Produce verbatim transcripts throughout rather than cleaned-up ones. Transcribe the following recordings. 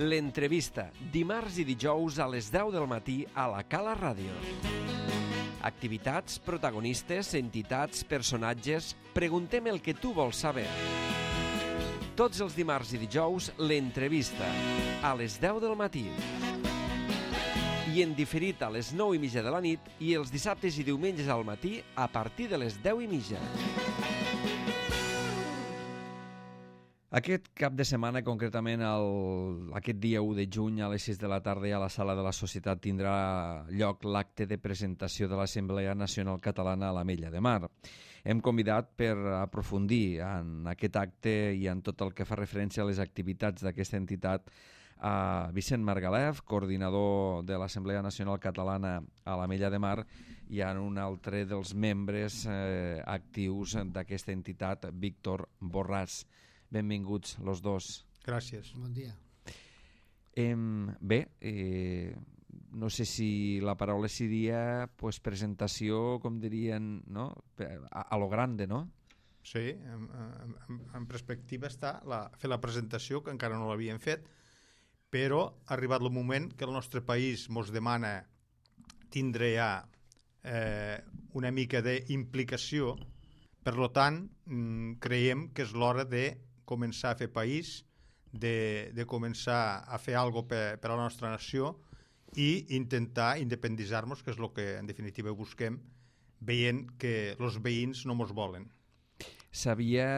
L'entrevista, dimarts i dijous a les deu del matí a la Cala Ràdio. Activitats, protagonistes, entitats, personatges... Preguntem el que tu vols saber. Tots els dimarts i dijous, l'entrevista, a les deu del matí. I en diferit a les nou i mitja de la nit i els dissabtes i diumenges al matí a partir de les deu i mitja. Aquest cap de setmana, concretament el, aquest dia u de juny a les sis de la tarda a la Sala de la Societat tindrà lloc l'acte de presentació de l'Assemblea Nacional Catalana a l'Ametlla de Mar. Hem convidat per aprofundir en aquest acte i en tot el que fa referència a les activitats d'aquesta entitat a Vicent Margalef, coordinador de l'Assemblea Nacional Catalana a l'Ametlla de Mar, i en un altre dels membres eh, actius d'aquesta entitat, Víctor Borràs. Benvinguts los dos. Gràcies. Bon dia. Eh, bé, eh, no sé si la paraula seria pues, presentació, com dirien, no? a, a lo grande, no? Sí, en, en, en perspectiva està la, fer la presentació, que encara no l'havien fet, però ha arribat el moment que el nostre país mos demana tindre ja eh, una mica d'implicació. Per tant, creiem que és l'hora de començar a fer país, de, de començar a fer alguna cosa per, per a la nostra nació i intentar independitzar-nos, que és el que en definitiva busquem, veient que els veïns no mos volen. Sabia...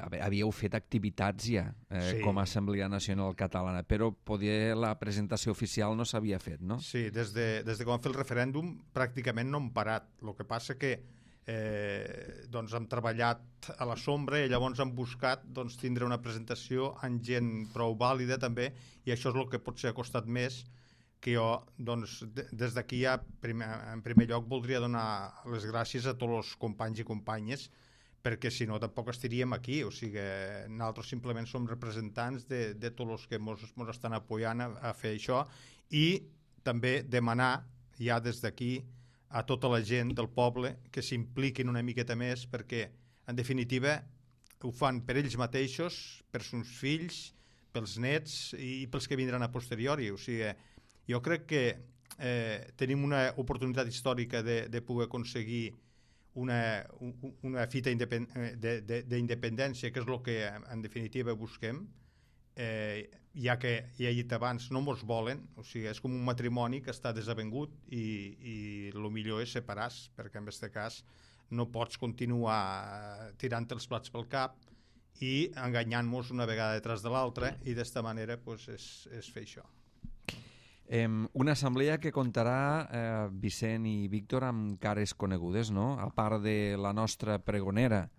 A veure, havíeu fet activitats ja eh, sí. com a Assemblea Nacional Catalana, però poder la presentació oficial no s'havia fet, no? Sí, des de, des de que vam fer el referèndum pràcticament no hem parat. El que passa que eh, doncs hem treballat a la sombra i llavors hem buscat doncs, tindre una presentació amb gent prou vàlida també, i això és el que potser ha costat més, que jo doncs, des d'aquí ja primer, en primer lloc voldria donar les gràcies a tots els companys i companyes, perquè si no tampoc estaríem aquí, o sigui, nosaltres simplement som representants de, de tots els que mos, mos estan apoyant a, a fer això, i també demanar ja des d'aquí a tota la gent del poble que s'impliquin una miqueta més, perquè en definitiva ho fan per ells mateixos, per sus fills, pels nets i pels que vindran a posteriori. O sigui, jo crec que eh, tenim una oportunitat històrica de, de poder aconseguir una, una fita d'independència, que és el que en definitiva busquem, eh, ja que ja he dit abans, no mos volen, o sigui, és com un matrimoni que està desavengut i, i el millor és separar-se, perquè en aquest cas no pots continuar tirant els plats pel cap i enganyant-nos una vegada detrás de l'altra, i d'esta manera pues, és, és fer això. Eh, una assemblea que comptarà, eh, Vicent i Víctor, amb cares conegudes, no? A part de la nostra pregonera,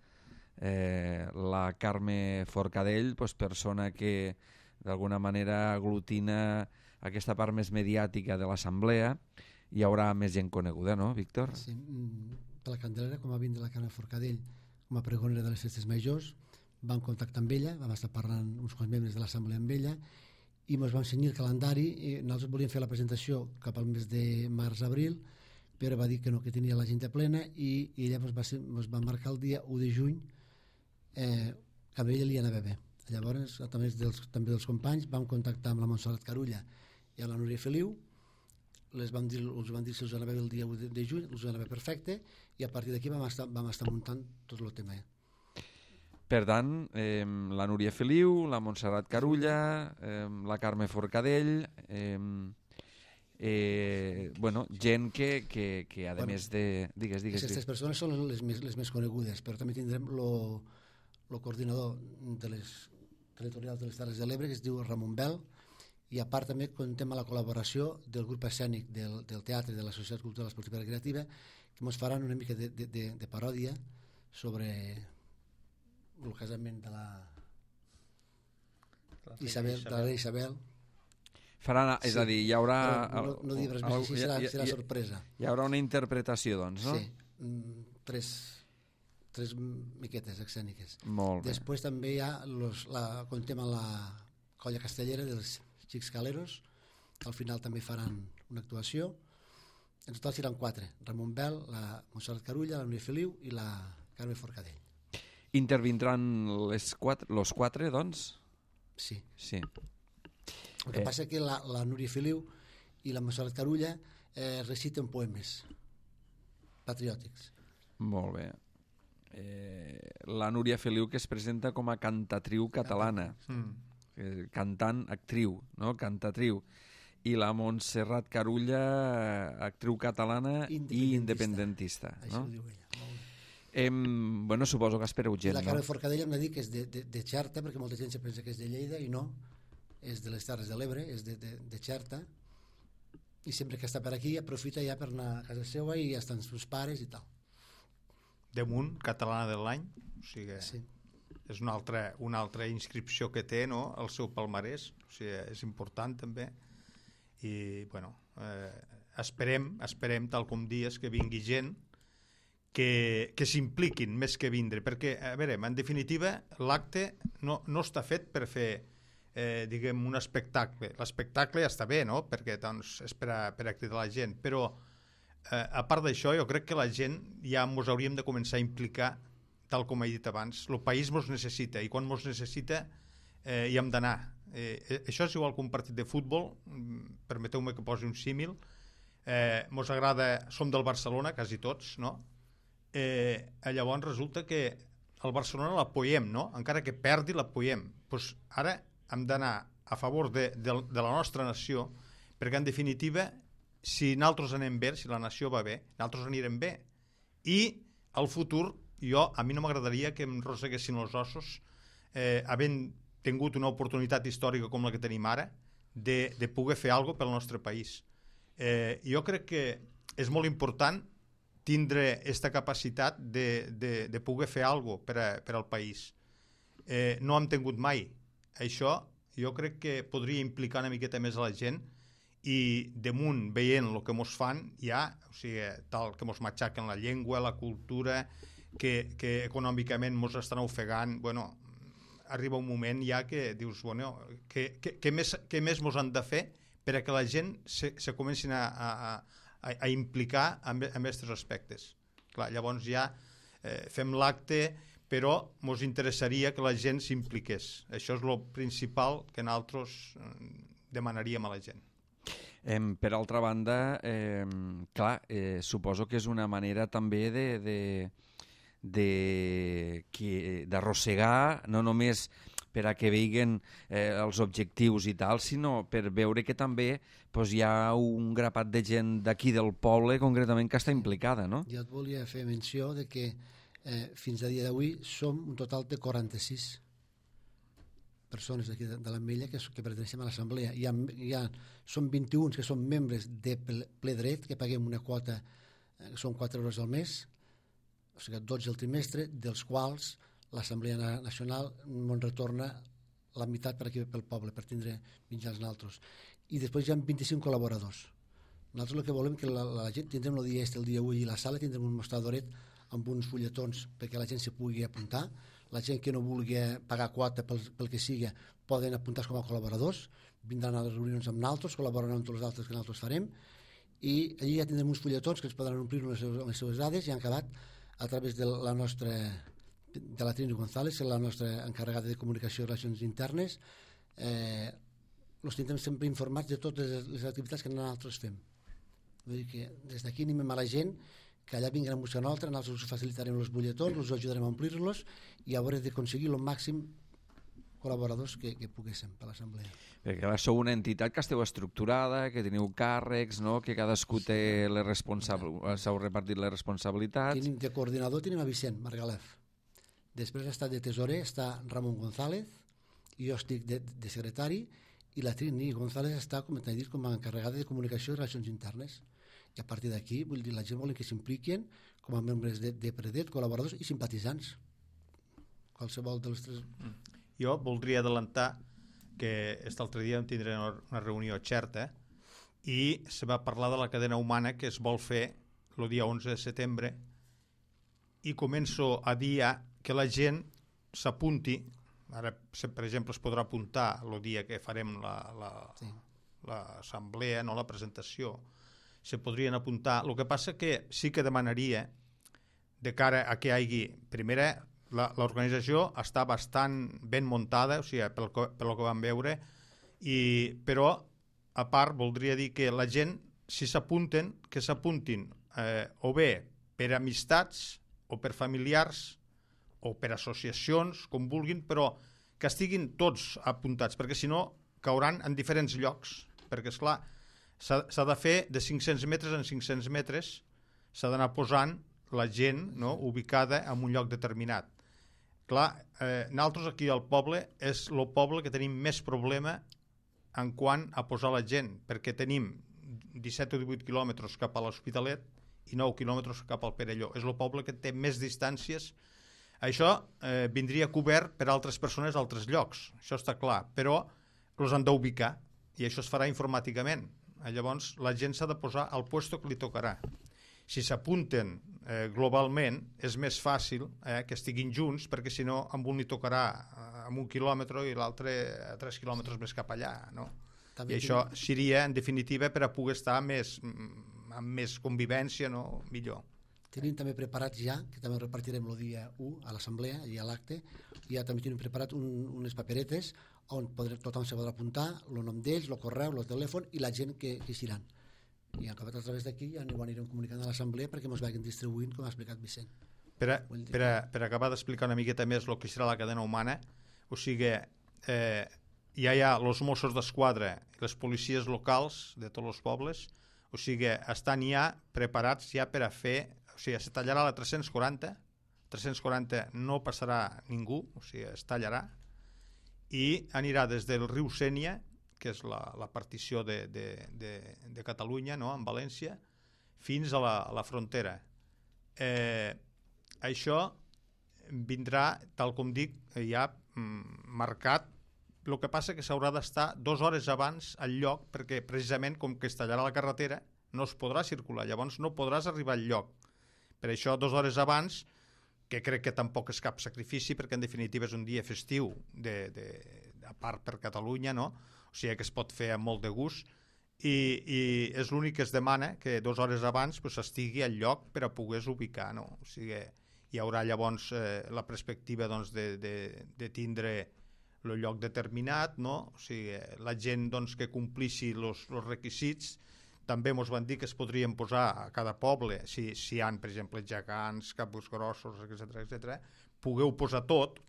eh, la Carme Forcadell, pues, persona que d'alguna manera aglutina aquesta part més mediàtica de l'assemblea. Hi haurà més gent coneguda, no, Víctor? Sí, per la Candelera, com va vindre la Carme Forcadell com a pregonera de les festes majors, vam contactar amb ella, vam estar parlant uns quants membres de l'assemblea amb ella, i ens vam cenyir el calendari, i nosaltres volíem fer la presentació cap al mes de març-abril, però va dir que no, que tenia l'agenda plena, i, i llavors va, ser, ens va marcar el dia u de juny, eh, que a ella li anava bé. Llavors, a través dels, també dels companys, vam contactar amb la Montserrat Carulla i a la Núria Feliu, les vam dir, els van dir si els anava bé el dia u de, de juny, els anava perfecte, i a partir d'aquí vam, estar, vam estar muntant tot el tema. Per tant, eh, la Núria Feliu, la Montserrat Carulla, eh, la Carme Forcadell, eh, eh, bueno, gent que, que, que a bueno, més de... Digues, digues. Aquestes persones són les més, les més conegudes, però també tindrem el coordinador de les territorials de les Terres de l'Ebre, que es diu Ramon Bel, i a part també contem amb la col·laboració del grup escènic del, del teatre de la Societat Cultural Esportiva i Recreativa, que ens faran una mica de, de, de, de paròdia sobre el casament de la Isabel, de la Isabel. Faran, és sí, a dir, hi haurà... No, no dir res més, així serà, serà sorpresa. Hi haurà una interpretació, doncs, no? Sí, tres, tres miquetes escèniques. Molt bé. Després també hi ha, los, la, contem amb la colla castellera dels Xics Caleros, que al final també faran una actuació. En total seran quatre: Ramon Bel, la Montserrat Carulla, la Núria Feliu i la Carme Forcadell. Intervindran les quatre, los quatre, doncs? Sí. Sí. El que Eh. passa que la, la Núria Feliu i la Montserrat Carulla eh, reciten poemes patriòtics. Molt bé. Eh, la Núria Feliu, que es presenta com a cantatriu catalana, Mm. eh, cantant, actriu, no? Cantatriu. I la Montserrat Carulla, actriu catalana i independentista. Així No? ho diu ella. Molt bé. Em, bueno, suposo que espereu I gent, la no? Carme Forcadell hem de dir que és de, de, de Xerta, perquè molta gent se pensa que és de Lleida i no, és de les Terres de l'Ebre, és de, de, de Xerta, i sempre que està per aquí aprofita ja per anar a casa seva i ja estan els seus pares i tal. Damunt, catalana de l'any, o sigui, Sí. és una altra, una altra inscripció que té, no?, el seu palmarès, o sigui, és important també, i bueno, eh, esperem, esperem, tal com dies, que vingui gent que, que s'impliquin més que vindre, perquè, a veure, en definitiva, l'acte no, no està fet per fer, eh, diguem, un espectacle. L'espectacle ja està bé, no?, perquè doncs, és per a, per a cridar la gent, però eh, a part d'això, jo crec que la gent ja ens hauríem de començar a implicar, tal com he dit abans. El país ens necessita, i quan ens necessita eh, hi hem d'anar. Eh, això és igual que un partit de futbol, permeteu-me que posi un símil, eh, mos agrada, som del Barcelona, quasi tots, no? Eh, llavors resulta que el Barcelona l'apoyem, no? Encara que perdi l'apoyem. Pues ara hem d'anar a favor de, de, de la nostra nació, perquè en definitiva, si nosaltres anem bé, si la nació va bé, nosaltres anirem bé. I al futur, jo, a mi no m'agradaria que em roseguessin els ossos eh, havent tingut una oportunitat històrica com la que tenim ara de, de poder fer alguna cosa pel nostre país. Eh, jo crec que és molt important tindre aquesta capacitat de, de, de poder fer alguna cosa per, a, per al país. Eh, no hem tingut mai. Això jo crec que podria implicar una miqueta més a la gent i damunt veient el que mos fan ja, o sigui, tal que mos matxaquen la llengua, la cultura, que, que econòmicament mos estan ofegant, bueno, arriba un moment ja que dius, bueno, que, que, que, més, que més mos han de fer per a que la gent se, se comencin a, a, a, a implicar en aquests aspectes. Clar, llavors ja eh, fem l'acte, però mos interessaria que la gent s'impliqués. Això és el principal que nosaltres eh, demanaríem a la gent. Eh, per altra banda, eh, clar, eh, suposo que és una manera també de... de d'arrossegar, no només per a que vegin eh, els objectius i tal, sinó per veure que també pues, hi ha un grapat de gent d'aquí del poble concretament que està implicada, no? Jo et volia fer menció de que eh, fins a dia d'avui som un total de quaranta-sis persones d'aquí de, de l'Ametlla que, que perteneixem a l'assemblea. Hi ha, hi ha, són vint-i-un que són membres de ple, ple dret, que paguem una quota, eh, que són quatre euros al mes, o sigui, dotze el trimestre, dels quals l'Assemblea Nacional ens retorna la meitat per aquí pel poble, per tindre mitjans naltros. I després hi ha vint-i-cinc col·laboradors. Nosaltres el que volem que la, la gent tindrem el dia este, el dia avui, i la sala tindrem un mostradoret amb uns fulletons perquè la gent se pugui apuntar. La gent que no vulgui pagar quota pel, pel que sigui poden apuntar com a col·laboradors, vindran a les reunions amb naltros, col·laboraran amb tots els altres que nosaltres farem, i allí ja tindrem uns fulletons que es podran omplir amb les seves, amb les seves dades i han acabat a través de la nostra, de la Trini González, la nostra encarregada de comunicació i relacions internes, eh, els tindrem sempre informats de totes les activitats que nosaltres fem. Vull dir que des d'aquí animem a la gent que allà vinguin a buscar nosaltres, nosaltres us facilitarem els butlletons, us ajudarem a omplir-los i haurem d'aconseguir el màxim col·laboradors que, que poguéssim per l'assemblea. Perquè ara sou una entitat que esteu estructurada, que teniu càrrecs, no? Que cadascú té les responsabilitats, s'heu repartit les responsabilitats. Tenim de coordinador tenim a Vicent Margalef. Després està de tesorer, està Ramon González, i jo estic de, de secretari, i la Trini González està, com t'he dit, com a encarregada de comunicació i relacions internes. I a partir d'aquí, vull dir, la gent vol que s'impliquin com a membres de, de Predet, col·laboradors i simpatitzants. Qualsevol dels tres... Mm. Jo voldria adelantar que aquest altre dia vam tindre una reunió a Xerta i se va parlar de la cadena humana que es vol fer el dia onze de setembre i començo a dir que la gent s'apunti, ara per exemple es podrà apuntar el dia que farem l'assemblea, la, la, no, la presentació, se podrien apuntar. El que passa que sí que demanaria de cara a que hi hagi, primera, l'organització està bastant ben muntada, o sigui, pel, pel que vam veure, I, però, a part, voldria dir que la gent, si s'apunten, que s'apuntin eh, o bé per amistats o per familiars o per associacions, com vulguin, però que estiguin tots apuntats, perquè si no cauran en diferents llocs, perquè, esclar, s'ha de fer de cinc-cents metres en cinc-cents metres, s'ha d'anar posant la gent, no?, ubicada en un lloc determinat. Clar, eh, nosaltres aquí al poble és el poble que tenim més problema en quant a posar la gent, perquè tenim disset o divuit quilòmetres cap a l'Hospitalet i nou quilòmetres cap al Perelló. És el poble que té més distàncies. Això eh, vindria cobert per altres persones a altres llocs, això està clar, però els han d'ubicar i això es farà informàticament. Llavors la gent s'ha de posar al puesto que li tocarà. Si s'apunten eh, globalment és més fàcil eh, que estiguin junts, perquè si no amb un li tocarà eh, amb un quilòmetre i l'altre a tres quilòmetres més cap allà, no? També I això tinc... seria en definitiva per a poder estar més, amb més convivència, no? Millor. Tenim també preparats ja, que també repartirem el dia u a l'assemblea i a l'acte, ja també tenim preparat un, unes paperetes on podrem, tothom se podrà apuntar el nom d'ells, el correu, el telèfon i la gent que, que estiran. I acabat a través d'aquí ja ho anirem comunicant a l'assemblea perquè ens vagin distribuint, com ha explicat Vicent. Per, a, per, a, per acabar d'explicar una miqueta més el que serà la cadena humana, o sigui, eh, ja hi ha els Mossos d'Esquadra i les policies locals de tots els pobles, o sigui, estan ja preparats ja per a fer, o sigui, es tallarà la tres-cents quaranta, tres-cents quaranta no passarà ningú, o sigui, es tallarà, i anirà des del riu Sénia, que és la, la partició de, de, de, de Catalunya, no?, en València, fins a la, a la frontera. Eh, això vindrà, tal com dic, ja mm, marcat. El que passa que s'haurà d'estar dues hores abans al lloc, perquè precisament com que es tallarà la carretera no es podrà circular, llavors no podràs arribar al lloc. Per això dues hores abans, que crec que tampoc és cap sacrifici, perquè en definitiva és un dia festiu, de, de, a part per Catalunya, no? O sigui que es pot fer amb molt de gust, i, i és l'únic que es demana, que dues hores abans pues, estigui al lloc per a poder-se ubicar, no? O sigui, hi haurà llavors eh, la perspectiva doncs, de, de, de tindre el lloc determinat, no? O sigui, la gent doncs, que complixi els requisits. També ens van dir que es podrien posar a cada poble, si, si hi ha, per exemple, gegants, capos grossos, etcètera, etcètera, pugueu posar tot,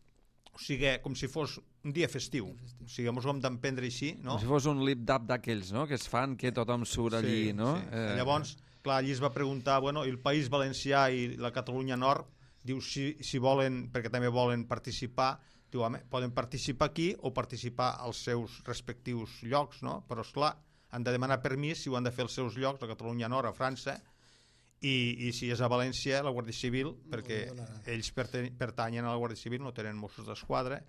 o sigui, com si fos un dia festiu. O sigui, ens ho hem d'emprendre així, no? Com si fos un lip-dap d'aquells, no?, que es fan, que tothom surt allí, sí, no? Sí. Eh... Llavors, clar, allí es va preguntar, bueno, el País Valencià i la Catalunya Nord, diu si, si volen, perquè també volen participar, diu, home, poden participar aquí o participar als seus respectius llocs, no? Però, esclar, han de demanar permís si ho han de fer als seus llocs, a Catalunya Nord, a França, i, i si és a València, la Guàrdia Civil, perquè ells pertanyen a la Guàrdia Civil, no tenen Mossos d'Esquadra.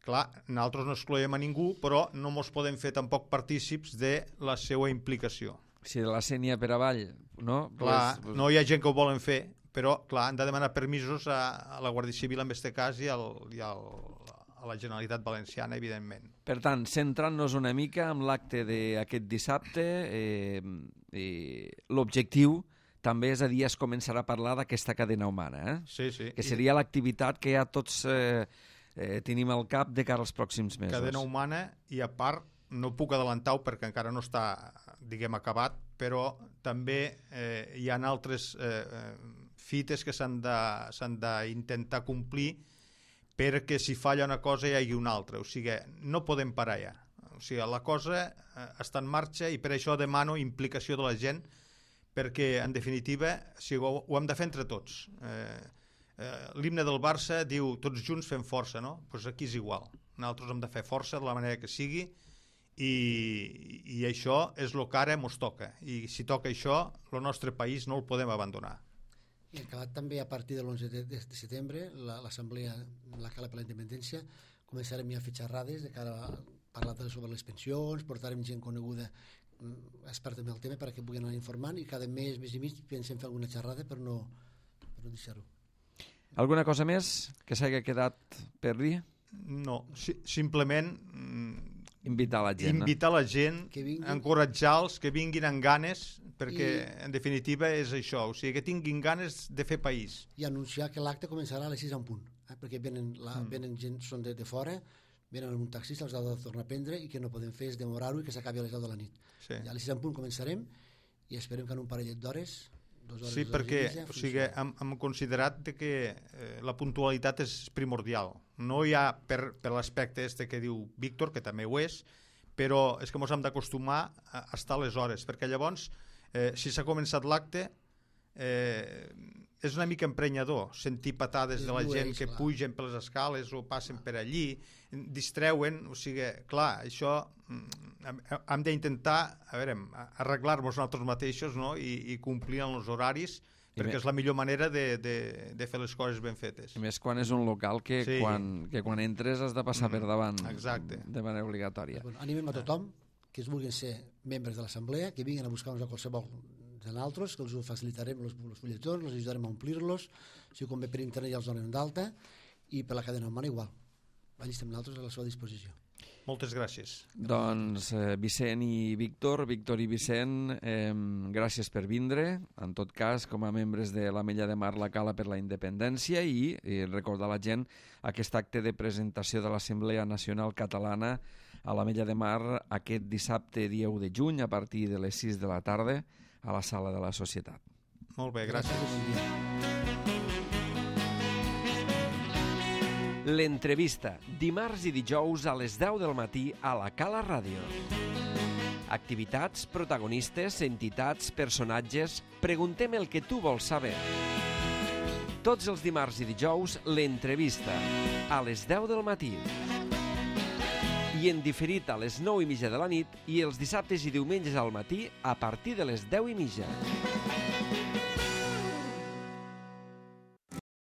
Clar, nosaltres no excloem a ningú, però no ens podem fer tampoc partícips de la seva implicació. Si de la Sénia per avall, no? Clar, pues... no hi ha gent que ho volen fer, però clar, han de demanar permisos a, a la Guàrdia Civil en aquest cas i, al, i al, a la Generalitat Valenciana, evidentment. Per tant, centrant-nos una mica en l'acte d'aquest dissabte, eh, eh, l'objectiu també és a dir, es començarà a parlar d'aquesta cadena humana, eh? Sí, sí. Que seria l'activitat que ja tots eh, eh, tenim al cap de cara als pròxims mesos. Cadena humana, i a part, no puc adelantar-ho perquè encara no està, diguem, acabat, però també eh, hi ha altres eh, fites que s'han d'intentar complir perquè si falla una cosa hi hagi una altra. O sigui, no podem parar ja. O sigui, la cosa eh, està en marxa i per això demano implicació de la gent, perquè, en definitiva, o sigui, ho, ho hem de fer entre tots. Eh, eh, L'himne del Barça diu tots junts fem força, no? Doncs pues aquí és igual. Nosaltres hem de fer força de la manera que sigui i, i això és el que ara ens toca. I si toca això, el nostre país no el podem abandonar. I acabat també a partir de l'onze de, de setembre, l'assemblea, la Cala per la Independència, començarem ja a fer xerrades de cara a parlar sobre les pensions, portarem gent coneguda experta en el tema perquè puguin anar informant i cada mes, mes i mig pensem fer alguna xerrada per no, per no deixar-ho. Alguna cosa més que s'hagi quedat per dir? No, si, simplement invitar la gent, invitar no? la gent, encoratjar-los que vinguin amb ganes, perquè I, en definitiva és això, o sigui que tinguin ganes de fer país. I anunciar que l'acte començarà a les sis en punt, eh? Perquè venen, la, mm. venen gent, són de, de fora, venen amb un taxista, els ha de tornar a prendre i que no podem fer és demorar-ho i que s'acabi a les deu de la nit. Sí. I a les sis en punt començarem i esperem que en un parellet d'hores, dues hores, sí, dues hores perquè i mitja, o sigui, hem, hem considerat de que eh, la puntualitat és primordial. No hi ha per, per l'aspecte este que diu Víctor, que també ho és, però és que ens hem d'acostumar a estar a les hores, perquè llavors, eh, si s'ha començat l'acte, eh, és una mica emprenyador sentir patades de la gent que pugen per les escales o passen per allí, distreuen, o sigui, clar, això hem d'intentar, a veure, arreglar-nos nosaltres mateixos, no? I, i complir en els horaris, perquè és la millor manera de, de, de fer les coses ben fetes. I més quan és un local que, sí. quan, que quan entres has de passar mm, per davant. Exacte. De manera obligatòria. Bueno, animem a tothom que es vulguin ser membres de l'assemblea, que vinguin a buscar-nos a qualsevol de nosaltres, que els ho facilitarem els, els fulletons, els ajudarem a omplir-los, si convé per internet ja els donem d'alta, i per la cadena humana igual. Allà estem nosaltres a la seva disposició. Moltes gràcies. Doncs eh, Vicent i Víctor, Víctor i Vicent, eh, gràcies per vindre. En tot cas, com a membres de l'Ametlla de Mar, la Cala per la Independència i, i recordar a la gent aquest acte de presentació de l'Assemblea Nacional Catalana a l'Ametlla de Mar aquest dissabte, dia u de juny, a partir de les sis de la tarda, a la Sala de la Societat. Molt bé, gràcies. L'entrevista, dimarts i dijous a les deu del matí a la Cala Ràdio. Activitats, protagonistes, entitats, personatges... Preguntem el que tu vols saber. Tots els dimarts i dijous, l'entrevista, a les deu del matí. I en diferit a les nou i mitja de la nit i els dissabtes i diumenges al matí a partir de les deu i mitja.